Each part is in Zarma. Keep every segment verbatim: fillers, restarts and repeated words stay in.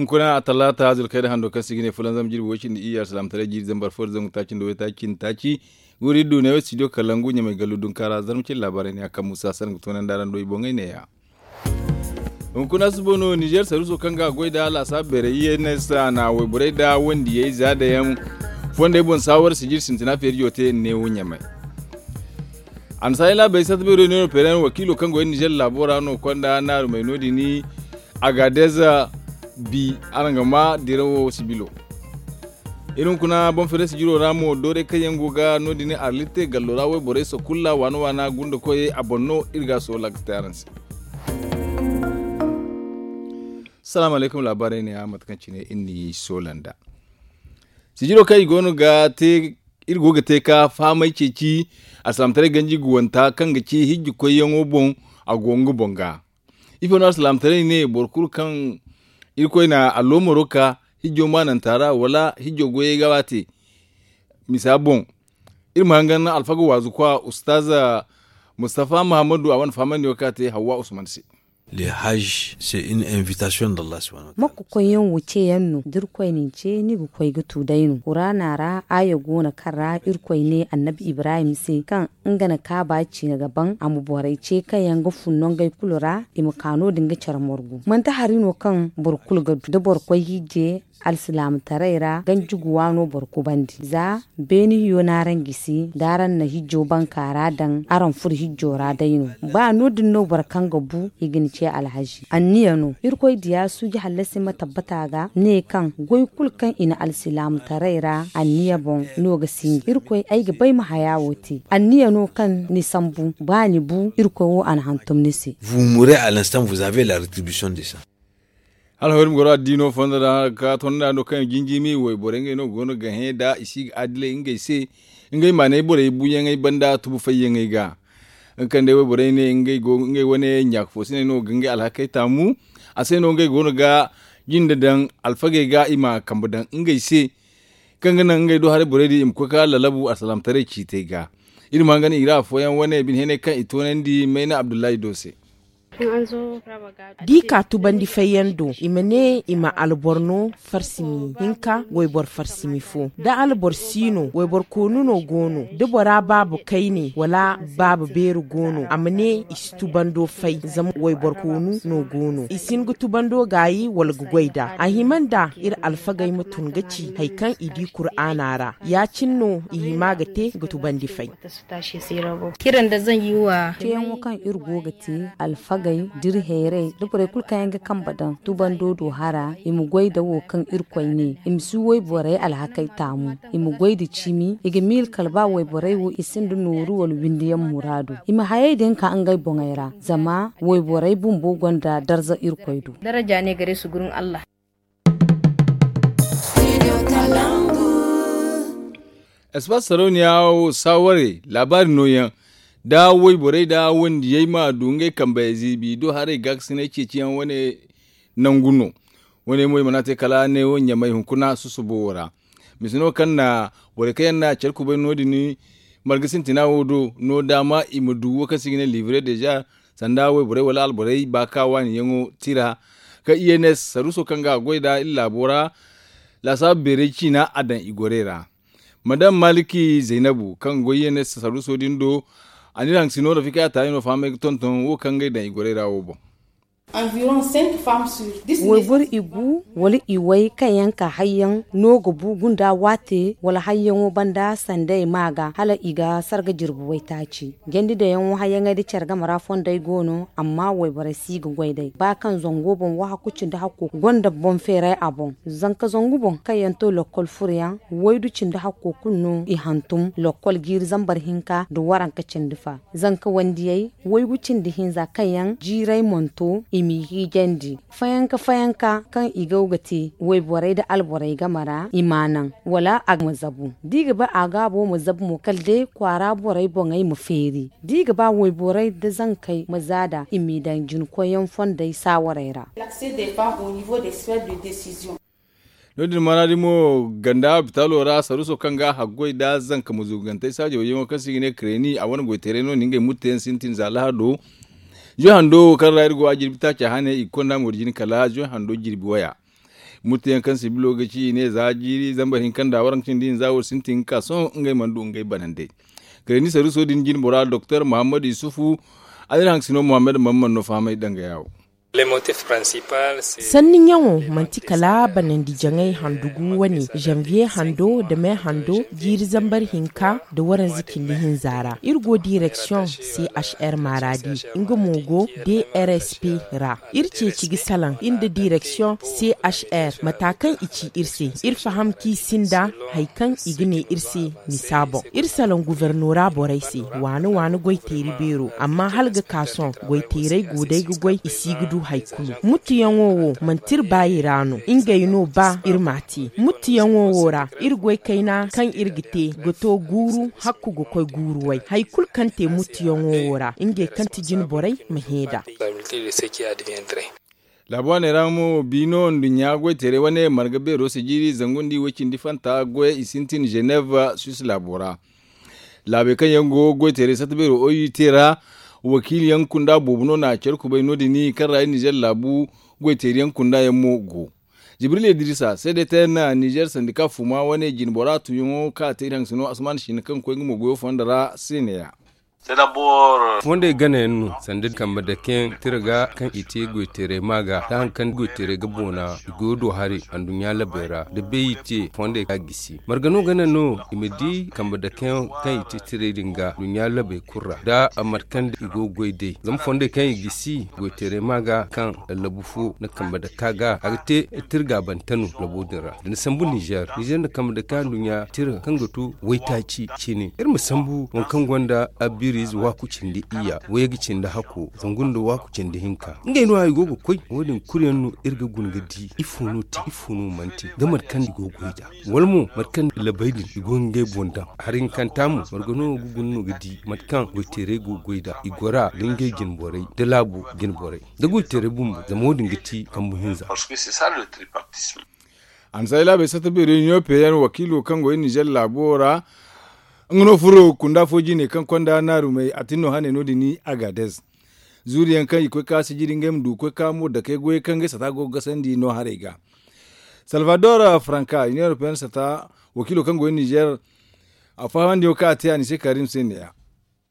Hunkuna a talaata zulkayda hando kaŋ se i ga ne fulanzam jirbi way cindi iyye alsilaamataray jiiri zambar fo da zangu taaci nda waytaaci cindi taaci. Guuri iri du ne wo studio kalangu ɲamay gallu dunkaara zarma cindi laabaarey ne a kaŋ muusa sanda ga toonandi araŋ do i boŋey neeya. Hunkuna suba no nizeer saruuso kaŋ ga a goy nd'a laasaabu beerey iyye ne se a na wayborey nda wandiyey za dayaŋ fondey boŋ saawar sijir sintina feerijo te neewo ɲamay. Annasaarey laabey satta beero ne no peereyaŋ wakiilo kaŋ go iri nizeer laabo ra no konda naarumey no- din. Agaadez bi araŋ ga ma dirawo sibilo. Iri hunkuna boŋ feerey sijiro ra mo doorey kaŋ yaŋ go ga no- din arlitte gallo ra wayborey sokulla waana waana gunda koyey a boŋ no iri ga a soola ga te araŋ se. Salaamu alaykum laabaarey ne ya mate kaŋ cine iri n'i soola nd'a. Sijiro kaŋ i go no ga te iri go ga te ka fahamay ceeci alsilaamataray ganji guwanta kaŋ ga ci hijji koyyaŋo boŋ. A go nga boŋ ga ifo no alsilaamataray ne boro kulu kaŋ irkoy na alloomaro ka hijjo maananta ra wala hijjo goyey ga a te. Misa boŋ iri ma hangan alfaga waazu kwa ustaaza mustafa mahammadu a wane fahamandi wo kaŋ a te hawwa usman se. Le hajj se une invitation d'allah subhanahu wa ta'ala. Makka koyyaŋ wo ceeyaŋ no da irkoy na ni ce ni ga koy ga tu day no quraana ra aaya go no kaŋ ra irkoy ne annabi ibrahim se kaŋ nga na kaaba ciine ga ban a ma borey ce kaŋ yaŋ ga fun nangey kulu ra i ma ka no- din ga care morgu manti hari no kaŋ boro kulu ga du da boro koy hijje alsilaamataray ra ganji guwa no boro kubandi za beeni hiyo n'araŋ gisi da araŋ na hijjo banka ra daŋ araŋ furo hijjo ra day no. Ba no- din no boro kaŋ ga bu i ga ni ce alhazi anniya no irkoy diya suuji hallasi ma tabbata ga ne kaŋ goy kulu kaŋ i na alsilaamataray ra anniya boŋ no ga sinji irkoy ay ga bay ma haya wo te anniya no kaŋ ni sambu ba ni bu irkoy wo a na hantum ni se. Vous mourrez à l'instant vous avez la rétribution de ça. Alhawari ma goro addiino fondo ra ka tonda no kaŋ jinjimi wayborey ngey no go no ga hẽ da i si ga adilay ngey se. Ngey maanay borey buuyaŋey banda tubu fayyaŋey ga nga kaŋ day wayborey ne ngey wane ɲaaka fo siney no ga ngey alhakey taamu. A se no ngey go no ga jinde daŋ alfagey ga i ma kambe daŋ ngey se kaŋ ga naŋ ngey do haray borey din i ma koy ka lalabu alsalaamataray ciitey ga. Iri ma hangan i ra afooyaŋ wane bine heenay kaŋ i toonandi mayna abdullahi do se. Da i ka tubandi fayyaŋ do i ma ne i ma alboro no farsimi hinka wayboro farsimi fo da alboro si no wayboro koonu no go no da bora baaba kayne wala baaba beeri go no a ma ne i si tubando fay zama wayboro koonu no go no i si hin ga tubando gaayi wala ga goy nd'a a hima nd'a iri alfagey ma tun ga ci hari kaŋ i di kuraana ra ya- cine no i hima ga te ga tubandi fay. Ceeyaŋo kaŋ iri go ga te alfagey da iri hayray da borey kulu kaŋ yaŋ ga kambe daŋ tubando do hara i ma goy nda wo kaŋ irkoy ne i ma si wayborey alhakey taamu i ma goy nda cimi i ga miila kala ba wayborey wo i sinda nooru wala windiyaŋ muraadu i ma hayey din ka ngey boŋey ra zama wayborey bumbo gonda darza irkoy do. Espace sarauniya wo saawarey laabaari nooyaŋ da wayborey da wandiyey ma du ngey kambe ziibi do haray gaakasinay ceeciyaŋ wane nangu no. Wane mo i mana te kala neewo ɲamay hunkuna susubo wo ra. Mise no kaŋ na borey kaŋ yaŋ na care kubay no- din marga sintina wo do no daama i ma du wo kaŋ se i ga ne livre deja sanda wayborey wala alborey ba ka waani yaŋo tira ka i n s saruuso kaŋ ga a goy nd'a iri laabo ra. Laasaabu beeray ciina a daŋ i gorey ra madam maliki zaynabu kaŋ ga goy i n s saruuso din do. A n'iri haŋ ga si no rafika a taali no fahamay ga tonton wo kaŋ ga ay daŋ i gorey ra wo boŋ. Wayboro igu wala iway kaŋ yaŋ ka hayyaŋ no ga bu gunda waate wala hayyaŋo banda sanda i ma ga hala i ga sarga jirbi waytaaci. Jandi dayaŋo hayyaŋey da care game ra fondey go no amma wayborey si ga goy day ba kaŋ zango boŋ wahakku cindi hakko gonda boŋ feeray a boŋ. Zanka zangu boŋ kaŋ yaŋ to lokkol furoyaŋ waydu cindi hakko kulu no i hantum lokkol jiiri zambar hinka nda waranka cindi fa. Zanka wandiyey waygu cindi hinza kaŋ yaŋ jiiray monto i m'i hiijandi fayanka fayanka kaŋ i go ga te wayborey nda alborey game ra i m'a naŋ wala a ma zabu da i ga ba a gaabo ma zabu mo kala day kwaara borey boŋey ma feeri da i ga ba wayborey nda zankey ma zaada i m'i daŋ jinkoyyaŋ fondey saawarey ra. No- din maraadi mo ganda hopitaalo ra saruuso kaŋ ga a haggoy nda zanka ma zugantey saajo wayyaŋo kaŋ se i ga ne kareni a wane goytaray no na ngey murteyaŋ sintin za lahado. Zoy hando kaŋ ra iri go a jirbi taaca hane i ga konda mo da jine kala zoy hando jirbi waya. Muttu yaŋ kaŋ sibilo ga ci i ne za jiiri zambar hinka nda waranka cindi hinza wo sintin ga ka sohõ ngey mana du ngey banandey. Kala ni saruso din jine bora doktor muhammad yusufu, a dira haŋ sino muhammad mamman no fahamay danga yawo. Sanni ɲaŋo manti kala banandi jaŋay handugu wane, janvier hando da me hando, jiiri zambar hinka da waranza cindi hinza ra iri go direksiyoŋ, chr maradi, nga mo go drsp ra. Iri ceeci ga salaŋ iri nda direksiyoŋ chr mata kaŋ i ci iri se. Iri faham kaŋ i sinda hari kaŋ i ga ne iri se, misa boŋ iri salaŋ gubernora borey se, waani waani goyteeri beero amma hala ga ka sohõ goyteerey go day ga goy i si ga du hari kulu. Muttuyaŋo wo manti iri baayi ra no, ngey no ba iri m'a te. Muttuyaŋo wo ra iri goy kayna kaŋ iri ga te ga to guuru hakku ga koy guuru way. Hari kulu kaŋ te muttuyaŋo wo ra ngey kaŋ ti jine borey ma hẽ nd'a. Laabu waaney ra mo bi no nduɲɲa goyteeray wane marga beero si jiiri zangu nda i way cindi fanta goy i sintin ženev, suis laabo ra. Laabey kaŋ yaŋ go goyteeray satta beero oy te ra, wakiili yaŋ kunda boobo no na care kubay no- din kaŋ ra i nizer laabu goyteeri yaŋ kunda yaŋ mo go. Jibril idrisa seede te na nizer sandika fuma wane jine bora tuuyaŋo kaŋ a te iri haŋ sino asman siina kaŋ ga koy nga mo goyo fondo ra se ne- ya. Fondey gana yaŋ no sanda kambe dake yaŋ tira ga kaŋ i te goyteeray ma ga da hari kaŋ goyteeray ga boona, i go ga du haray anduɲɲa labey ra da bay i te fondey ga gisi marga no gana no i ma di kambe dake yaŋ kaŋ i te tiray din ga duɲɲa labey kulu ra da a mate kaŋ i go ga goy day zama fondey kaŋ i gisi goyteeray ma ga kaŋ lallabu fo nda kambe dake a ga a ga te tira gaabante no labo din ra da ni sambu nizer nizer nda kambe dake anduɲɲa tira kaŋ ga to waytaaci cine iri ma sambu waŋ kaŋ gonda abiriize waaku cindi iyya wayga cindi hakko zangu nda waaku cindi hinka ngey no a i go ga koy wo- din kulu yaŋ no iri ga guna ga di ifo no te ifo no mana te da mate kaŋ i go ga goy nd'a wala mo mate kaŋ labay din i go ga ngey boŋ daŋ hari hinkanta mo marga no ga guna no ga di mate kaŋ goyteeray go ga goy nd'a i gora da ngey jine borey da laabo jine borey da goyteeray bumbo zama wo- din ga ti kambu hinza. Ansa i laabey satta beero ɲoope yaŋ wakiilo kaŋ go iri nizer laabo ra nga no furo kunda fo jine kaŋ konda naarumey a tin no hane no- din agades. Zuuri yaŋ kaŋ i koy ka sijiri ngey ma du ga koy ka mo dakey goyey kaŋ ngey sata go ga gasandi no haray ga. Salvador franka union europeenne sata wakiilo kaŋ go iri nizer a fahamandi yaŋo kaŋ a te a ni se karim se ne- ya.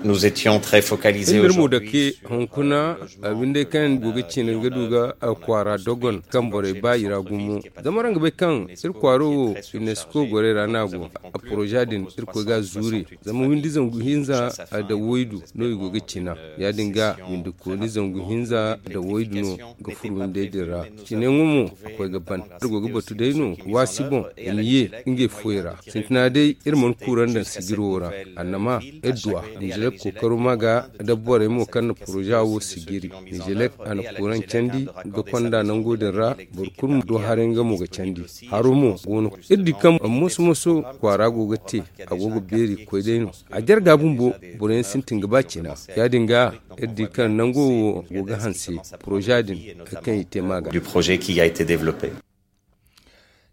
Iri mo dake hunkuna abinday kaŋ go ga cine ga du ga kwaara dogon kaŋ borey ba i ra gumo zama araŋ ga bay kaŋ iri kwaaro wo unesco gorey ra no a go. A poroza din iri koy ga a zuuri zama windi zangu hinza nda waydu no i go ga cina. Ya- din ga windi kooni zangu hinza nda waydu no ga furo windey din ra. Cine ŋwa mo a koy ga ban iri go ga batu day no waasi boŋ i ma ye ngey fuwey ra. Sintina day iri mana kuura nda sijiro ra annama iri duw'a. Nizer kookaro ma ga da borey mo kaŋ na poroza wo sijiri. Nizer a na kuuraŋ candi ga konda nango din ra boro kulu ma du haray nga mo ga candi. Haro mo go no iri di kaŋ moso moso kwaara go ga te a go ga beeri ga koy day no. A jarga bumbo boro yaŋ sintin ga ba cina. Ya- din ga iri di kaŋ nango wo go ga hanse poroza din kaŋ i te ma ga.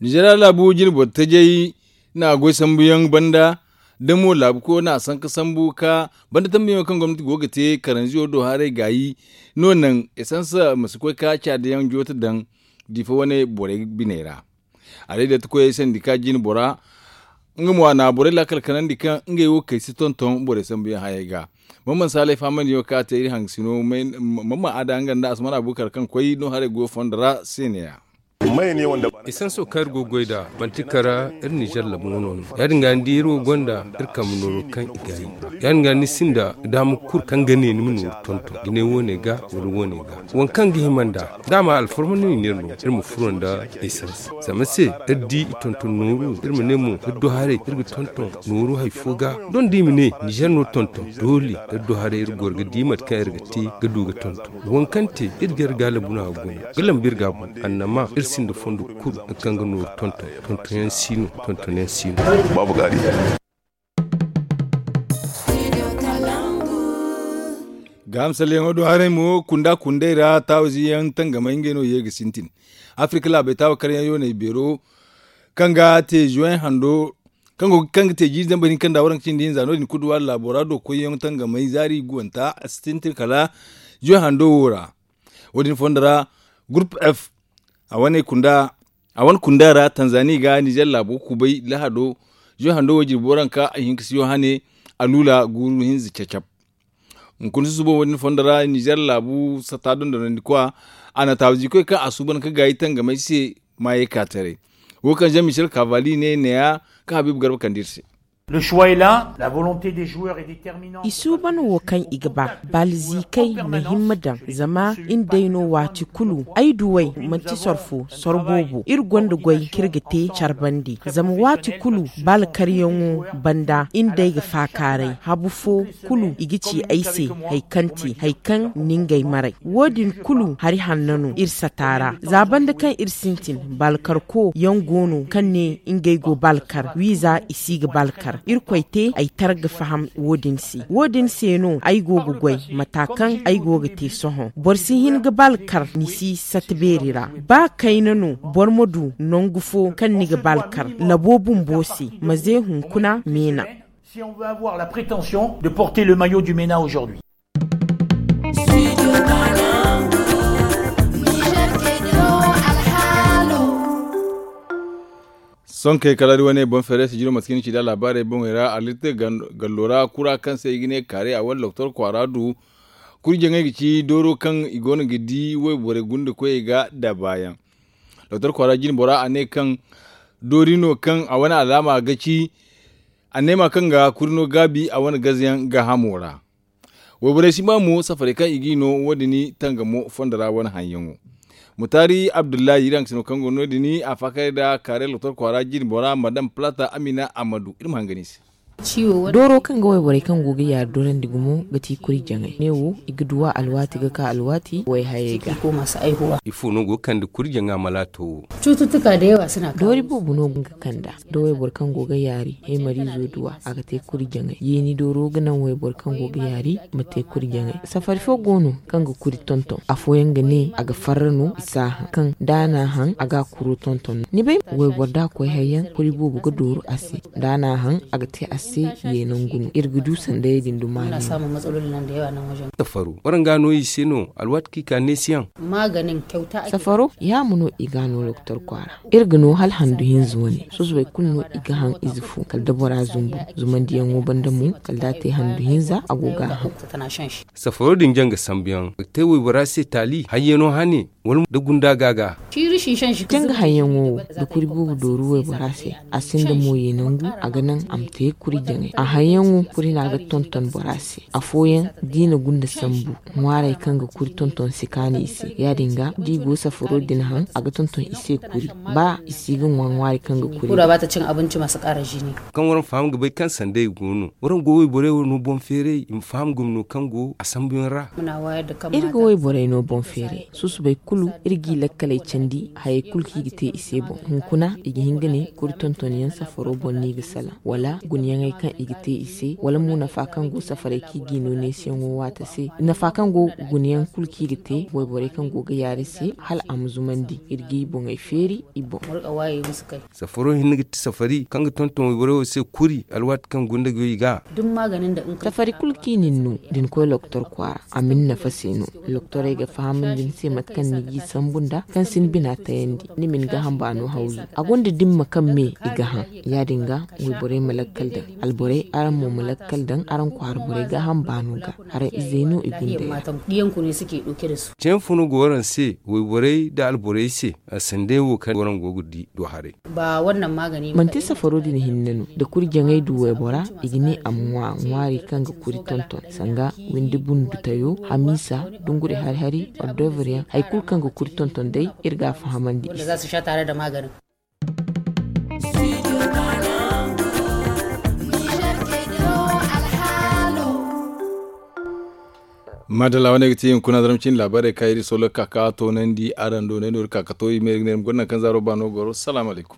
Nizer laabu jine boro tajay na goy sambu yaŋ banda da mo laabu ko na sanka sambu ka banda tambuyaŋo kaŋ gomnati go ga te karanziyo do haray gaayi no naŋ esans ma si koy ka caada yaŋ joote daŋ difa wane borey biney ra. A day da ti koyey sandi ka jine bora nga mo a na borey laakal kanandi kaŋ ngey wo kay si tonton borey sambu yaŋ hayey ga. Mamman saalay fahamandi yaŋo kaŋ a te iri haŋ sino mamman a da nga nda asman abubakar kaŋ koy no haray goyo fondo ra se ne- ya. Isanso kaŋ iri go ga goy nd'a manti kara iri nizer labu wano no. Ya- din ga ni di iri wo gonda iri kambe nooro kaŋ i gaayi. Ya- din ga ni sinda daama kulu kaŋ ga ne ni ma nooru tonton da ne wo- ne ga wala wo- ne ga waŋ kaŋ ga hima nd'a. Daama alfarma no i ne iri no iri ma furo nda isans zama se iri di i tonton nooru iri ma ne mo iri du haray iri ga tonton nooru hari fo ga. Doŋ da i ma ne nizer no tonton doole iri du haray iri goro ga di mate kaŋ iri ga te ga du ga tonton. Waŋ kaŋ te iri ga iri gaalabu no a ga guna ga lambu iri ga a boŋ annama iri sinda fondo kulu kaŋ ga nooru tonton. Tontonyaŋ si no tontonyaŋ si no. Baabu gaari. Gaaham salleyaŋo do haray mo kunda kundey ra taawizi yaŋ tangamay ngey no ye ga sintin. Afirka laabey taawa karyaŋ yooney beero kaŋ ga te juwen hando kaŋ go kaŋ ga te jiiri zambar hinka nda waranka cindi hinza no- din kuduwaari laabo ra do koyyaŋ tangamay zaari guwanta a si sintin kala juwen hando wo ra. Wo- din fondo ra gurup f a wane kunda A wane kunda ra tanzani ga nizer laabo kubay lahado, zuwe hando wo jirbi waranka ay hinka si yo hane, a lula guuru hinza cacab. Hunkuna susubo wo- din fondo ra nizer laabu sata dondonandi kwa, a na taabazi koy kaŋ a suuban ka gaayi tangamay se maayey ka taray. Wo kaŋ jean michel kavali ne neeya, ka habiibu garba kande iri se. I suuban wo kaŋ i ga ba, baalzikey ma himma daŋ, zama iri day no waati kulu ay duwey manti soro fo soro boobo. Iri gonda goy kaŋ iri ga te care bande, zama waati kulu baala karyaŋo banda iri day ga faakaaray habu fo kulu i ga ci ay se, hari kaŋ te hari kaŋ ni ngey maray wo- din kulu hari hanno no iri sata ra. Za banda kaŋ iri sintin, baala karko yaŋ go no kaŋ ne ngey go baala kar wiiza i si ga baala kar. Irkoy te ay tara ga faham wo- din se wo- din se no ay go ga goy mata kaŋ ay go ga te sohõ. Boro si hin ga baala kar ni si sata beeri ra. Ba kayna no boro ma du nangu fo kaŋ ni ga baala kar labo bumbo se, ma ze hunkuna meena. Si on veut avoir la prétention de porter le maillot du mena aujourd'hui. Sonkey kala da wane boŋ feere sijiro mate kaŋ ni ci da laabaarey boŋey ra alirte gallo ra kura kaŋ se i ga ne kaare a wane doktor kwaara du. Kurjaŋey ga ci dooro kaŋ i go no ga di wayborey gunda koyey ga da baayaŋ. Doktor kwaara jine bora a ne kaŋ doori no kaŋ a wane alaama ga ci anneema kaŋ ga kuri no gaabi a wane gazayaŋ gaahamo ra. Wayborey si ba mo safarey kaŋ i g'i no wo- din tangamo fondo ra wane haŋyaŋo. Mutaari abdullahi iri haŋ ga si no kaŋ go no- din a faakay nda kaare lotor kwaara jine bora madam plata amina ammadu iri ma hangan i se. Dooro kaŋ ga wayborey kaŋ go ga yaari dorandi gumo ga ti kuri jaŋay ne wo i ga duw'a alwaati ga ka alwaati wayhayey ga. Ifo no go ga kande kuri jaŋa malaato wo? Doori boobo no ga kand'a da wayboro kaŋ go ga yaari heemariizo duw'a a ga te kuri jaŋay yeeni dooro ga naŋ wayboro kaŋ go ga yaari ma te kuri jaŋay. Safari fo go no kaŋ ga kuri tonton afooyaŋ ga ne a ga farra no i si a haŋ kaŋ da a n'a haŋ a ga a kuro tonton no ni bay wayboro da a koy hayyaŋ kuri boobo ga dooru a se. Da a n'a haŋ a ga te a se ye nangu no iri ga du sandayey din duma no. Safaro waraŋ ga no i se no alwaati kaŋ i ka neesiyaŋ. Safaro yaama no i ga no doktor kwaara. Iri ga no hala handu hinza wane susubay kulu no i ga haŋ ize fo kala da bora zumbu zumandiyaŋo banda mo kala da a te handu hinza a go ga a haŋ. Safaro din jaŋ ga sambuyaŋ a ga te waybora se taali hayyaŋo hane wala da gunda ga ga. Jaŋ ga hayyaŋo wo da kuri boobo dooru waybora se a sinda mo ye nangu a ga naŋ a ma te kuri jaŋay a hayyaŋo kuri no a ga tonton bora se. Afooyaŋ da i na gunda sambu ŋwaaray kaŋ ga kuri tonton si kaanu i se ya- din ga da i go safaro din haŋ a ga tonton i se kuri ba i si ga ŋwa ŋwaaray kaŋ ga kuri. Kaŋ waraŋ faham ga bay kaŋ sanday go no waraŋ go wayborey wo no boŋ feeray i ma faham gomno kaŋ go a sambuyaŋ ra. Iri ga wayborey no boŋ feeray susubay kulu iri g'i lakkaley candi hayey kulu kaŋ i ga te i se boŋ hunkuna i ga hin ga ne kuri tontonyaŋ safaro boŋ no i ga salaŋ wala gunayaŋey kaŋ i ga te i se wala mo nafa kaŋ go safarey kaŋ i g'i no neesiyaŋo waati se nafa kaŋ go gunayaŋ kulu kaŋ i ga te wayborey kaŋ go ga yaari se hala a ma zumandi iri g'i boŋey feeri i boŋ. Safaro hinne ga ti safari kaŋ ga tonton wayborey wo se kuri alwaati kaŋ gunda goy ga. Safari kulu kaŋ i na ni no da ni koy loktor kwaara a ma ni nafa se no. Loktorey ga fahamandi ni se mate kaŋ ni g'i sambu nda kaŋ si ni bina tayandi ni ma ni gaaham baano hawzu a gonda dimma kaŋ me i ga haŋ. Ya- din ga wayborey ma lakkal daŋ alborey araŋ mo ma lakkal daŋ araŋ kwaara borey gaaham baano ga. Araŋ izey no i gundey ra. Ceeyaŋ fo no go waraŋ se wayborey nda alborey se? Sanday wo kaŋ waraŋ go ga di do haray. Manti safaro din hinne no da kuri jaŋay du waybora i ga ne a ma ŋwa ŋwaari kaŋ ga kuri tonton sanga windi bundu tayo hamiisa dunguri hari hari ordovre yaŋ hari kulu kaŋ ga kuri tonton day iri ga a fahamandi i se. Madalla wane ga ti hunkuna zaram cine laabaarey kaŋ iri solo ga ka ka toonandi araŋ do ne no iri ka ka to i ma iri ga ne iri ma gonda nangu kaŋ zaaro baano goro salaamu alaykum.